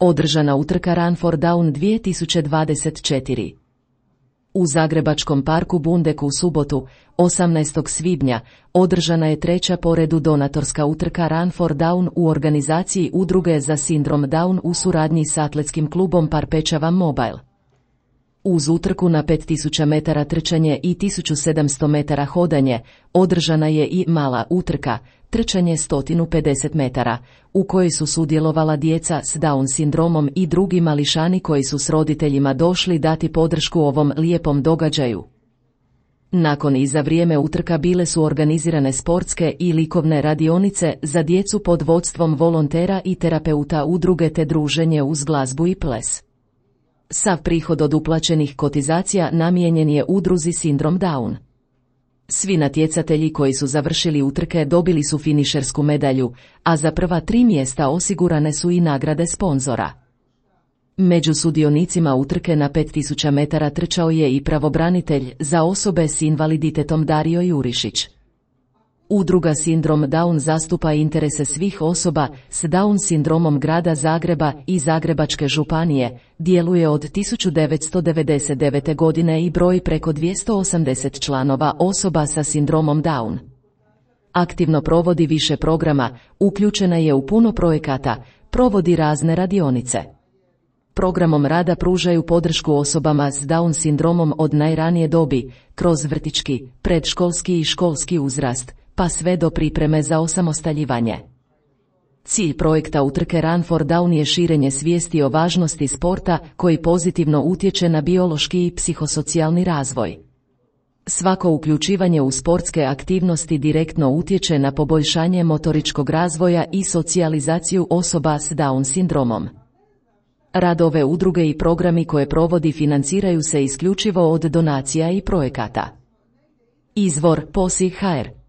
Održana utrka Run for Down 2024. U Zagrebačkom parku Bundek u subotu, 18. svibnja, održana je treća po redu donatorska utrka Run for Down u organizaciji Udruge za sindrom Down u suradnji s atletskim klubom Parpečava Mobile. Uz utrku na 5000 metara trčanje i 1700 metara hodanje, održana je i mala utrka, trčanje 150 metara, u kojoj su sudjelovala djeca s Down sindromom i drugi mališani koji su s roditeljima došli dati podršku ovom lijepom događaju. Nakon i za vrijeme utrka bile su organizirane sportske i likovne radionice za djecu pod vodstvom volontera i terapeuta udruge te druženje uz glazbu i ples. Sav prihod od uplaćenih kotizacija namijenjen je udruzi Sindrom Down. Svi natjecatelji koji su završili utrke dobili su finišersku medalju, a za prva 3 mjesta osigurane su i nagrade sponzora. Među sudionicima utrke na 5000 metara trčao je i pravobranitelj za osobe s invaliditetom Dario Jurišić. Udruga Sindrom Down zastupa interese svih osoba s Down sindromom grada Zagreba i Zagrebačke županije, djeluje od 1999. godine i broji preko 280 članova osoba sa sindromom Down. Aktivno provodi više programa, uključena je u puno projekata, provodi razne radionice. Programom rada pružaju podršku osobama s Down sindromom od najranije dobi, kroz vrtićki, predškolski i školski uzrast, pa sve do pripreme za osamostaljivanje. Cilj projekta utrke Run for Down je širenje svijesti o važnosti sporta koji pozitivno utječe na biološki i psihosocijalni razvoj. Svako uključivanje u sportske aktivnosti direktno utječe na poboljšanje motoričkog razvoja i socijalizaciju osoba s Down sindromom. Rad ove udruge i programi koje provodi financiraju se isključivo od donacija i projekata. Izvor: POSI.hr